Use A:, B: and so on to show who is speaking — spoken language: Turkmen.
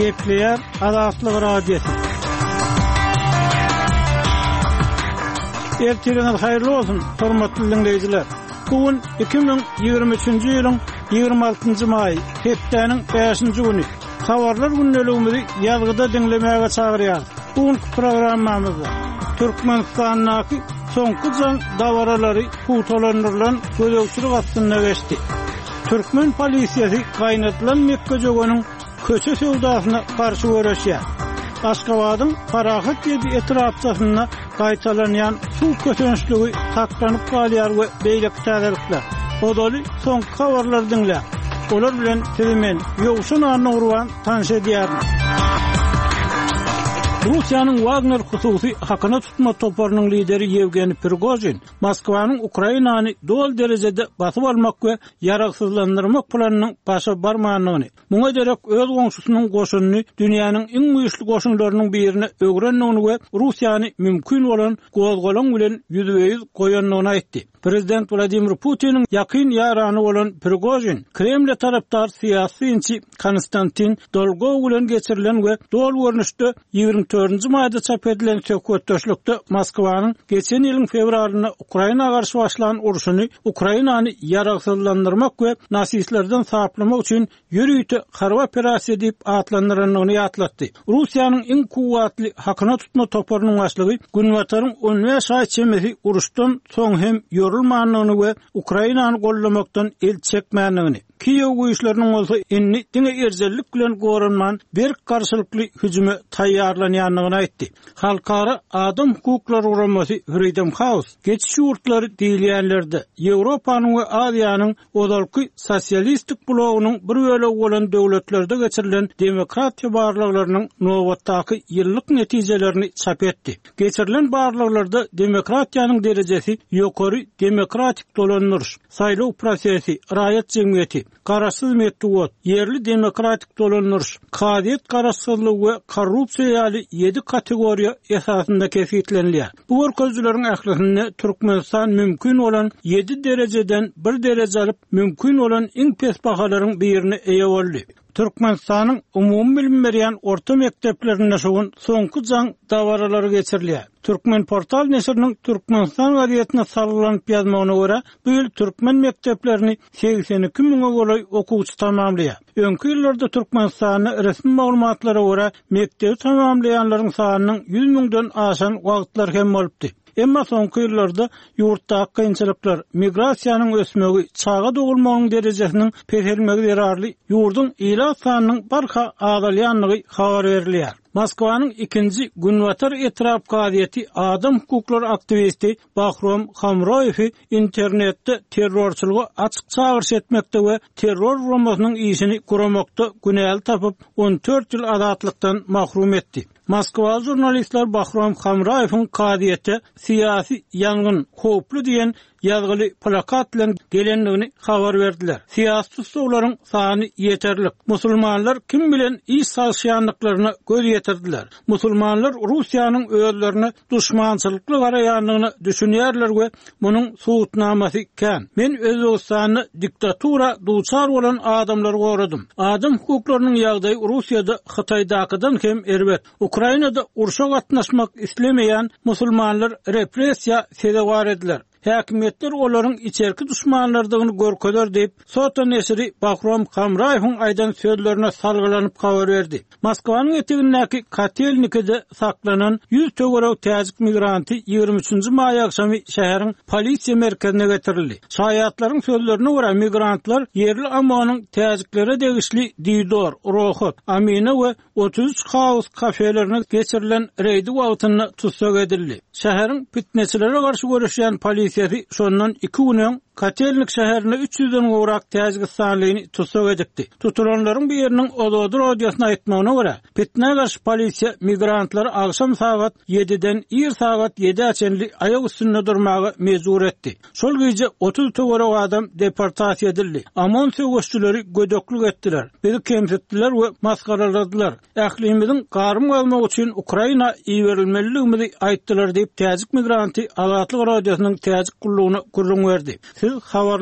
A: Gepleýär Azatlyk Radiosy. Ertiriňiz haýyrly bolsun, hormatly diňleýjiler! Bu gün 2023-nji ýylyň 26-njy maýy, hepdäniň bäşinji güni. Habarlar gündeligimizi ýazgyda diňlemäge çagyrýarys. Bu günki programmamyzda Türkmenistandaky soňky jaň dabaralary pugtalandyrylan gözegçilik astynda geçdi. Türkmen polisiýasy gaýnadylan mekgejöweniň köçe söwdasyna garşy göreşýär. Aşgabadyň Parahat ýedi etrapçasynda gaýtalanýan suw kösençligi saklanyp galýar we beýleki täzelikler. Ozaly soňky habarlary diňläň. Olar bilen sizi men, Ýowşan Annagurban tanyş edýärin. Russiýanyň Wagner hususy hakyna tutma toparynyň lideri Ýewgeniý Prigožin Moskwanyň Ukrainany doly derejede basyp almak we ýaragsyzlandyrmak planynyň başa barmandygyny, muňa derek öz goňşusynyň goşunyny dünýäniň iň güýçli goşunlarynyň birine öwrendigini we Russiýany mümkin bolan gozgalaň bilen ýüzbe-ýüz goýandygyny aýtdy. Prezident Wladimir Putiniň ýakyn ýarany bolan Prigožin Kremle tarapdar syýasy synçy Konstantin Dolgow bilen geçirilen we doly görnüşde 24-nji maýda çap edilen söhbetdeşlikde Moskwanyň geçen ýylyň fewralynda Ukraina garşy başlan urşuny Ukrainany ýaragsyzlandyrmak we nasistlerden saplamak üçin ýörite harby operasiýa diýip atlandyrandygyny ýatlatdy. Russiýanyň iň kuwwatly hakyna tutma toparynyň başlygy Günbataryň on bäş aý çemesi uruşdan soň hem ýorulmandygyny we Ukrainany goldamakdan el çekmändigini, Kiýew güýçleriniň bolsa indi diňe erjellik bilen goranman, berk garşylykly hüjüme taýýarlanýandygyny aýtdy. Halkara adam hukuklary guramasy Freedom House geçiş ýurtlary diýilýänlerde, Ýewropanyň we Aziýanyň ozalky sosialistik blogynyň bir bölegi bolan döwletlerde geçirilen demokratiýa barlaglarynyň nobatdaky ýyllyk netijelerini çap etdi. Geçirilen barlaglarda demokratiýanyň derejesi ýokary demokratik dolandyryş, saýlaw prosesi, raýat jemgyýeti, garaşsyz metbugat, ýerli demokratik dolandyryş, kazyýet garaşsyzlygy we korrupsiýa ýaly ýedi kategoriýa esasynda kesgitlenilýär. Bu görkezijileriň ählisinde Türkmenistan mümkin bolan ýedi derejeden bir dereje alyp, mümkin bolan iň pes bahalaryň birine eýe boldy. Türkmenistanyň umumybilim berýän orta mekdeplerinde şu gün Soňky jaň dabaralary geçirilýär. Türkmenportal neşiriniň Türkmenistan gazetine salgylanyp ýazmagyna görä, bu ýyl türkmen mekdeplerini 82 müňe golaý okuwçy tamamlaýar. Öňki ýyllarda Türkmenistanda resmi maglumatlara görä, mekdebi tamamlaýanlaryň sanynyň 100 müňden aşan wagtlary hem bolupdy. Emma soňky ýyllarda ýurtdaky kynçylyklar, migrasiýanyň ösmegi, çaga dogulmagynyň derejesiniň peselmegi zerarly ýurduň ilat sanynyň barha azalýandygy habar berilýär. Moskwanyň ikinji Günbatar etrap kazyýeti adam hukuklary aktiwisti Bahrom Hamroýewi internetde terrorçylyga açyk çagyryş etmekde we terror guramasynyň işini guramakda günäli tapyp, on dört ýyl azatlykdan mahrum etdi. Moskwaly žurnalistler Bahrom Hamraýewiň kazyýete Syýasy ýangyn howply diýen ýazgyly plakat bilen gelendigini habar berdiler. Syýasy tussaglaryň sany ýeterlik. Musulmanlar kim bilen iş salyşýandyklaryna göz ýetirdiler. Musulmanlar Russiýanyň özlerine duşmançylykly garaýandygyna düşünýärler we munuň subutnamasy kän. Men Özbegistanda diktatura duçar bolan adamlary goradym. Adam hukuklarynyň ýagdaýy Russiýada Hytaýdakydan hem erbet. Ukrainada urşa gatnaşmak islemeýän musulmanlar repressiýa sezewar ediler. Häkimiýetler olaryň içerki duşmanlardygyny görkezer diýip, Sota neşiri Bahrom Hamraýewiň aýdan sözlerine salgylanyp habar berdi. Moskwanyň etegindäki Kotelnikide saklanan 100 töweregi täjik migranty 23 nji maý agşamy şäheriň polisiýa merkezine getirildi. Şaýatlaryň sözlerine görä, migrantlar ýerli OMON-yň täjiklere degişli Didor, Rohat, Amina we 33 House kafelerine geçirilen reýdi wagtynda tussag edildi. Şäheriň pitneçilere garşy göreşýän polisiýasy şondan iki gün öň Kotelnik şäherinde üç ýüzden gowrak täjigistanlyny tussag edipdi. Tutulanlaryň biriniň Ozodi radiosyna aýtmagyna görä, pitnä garşy polisiýa migrantlary agşam sagat ýediden ir sagat ýedä çenli aýak üstünde durmaga mejbur etdi. Şol gije 30 töweregi adam deportasiýa edildi. OMON söweşçileri gödeklik etdiler, bizi kemsitdiler we masgaraladylar. Ählimiziň garym gazmak üçin Ukraina iberilmelidigimizi aýtdylar diýip, täjik migranty Azatlyk Radiosynyň Täjik gullugyna gürrüň berdi. Siz habarlar.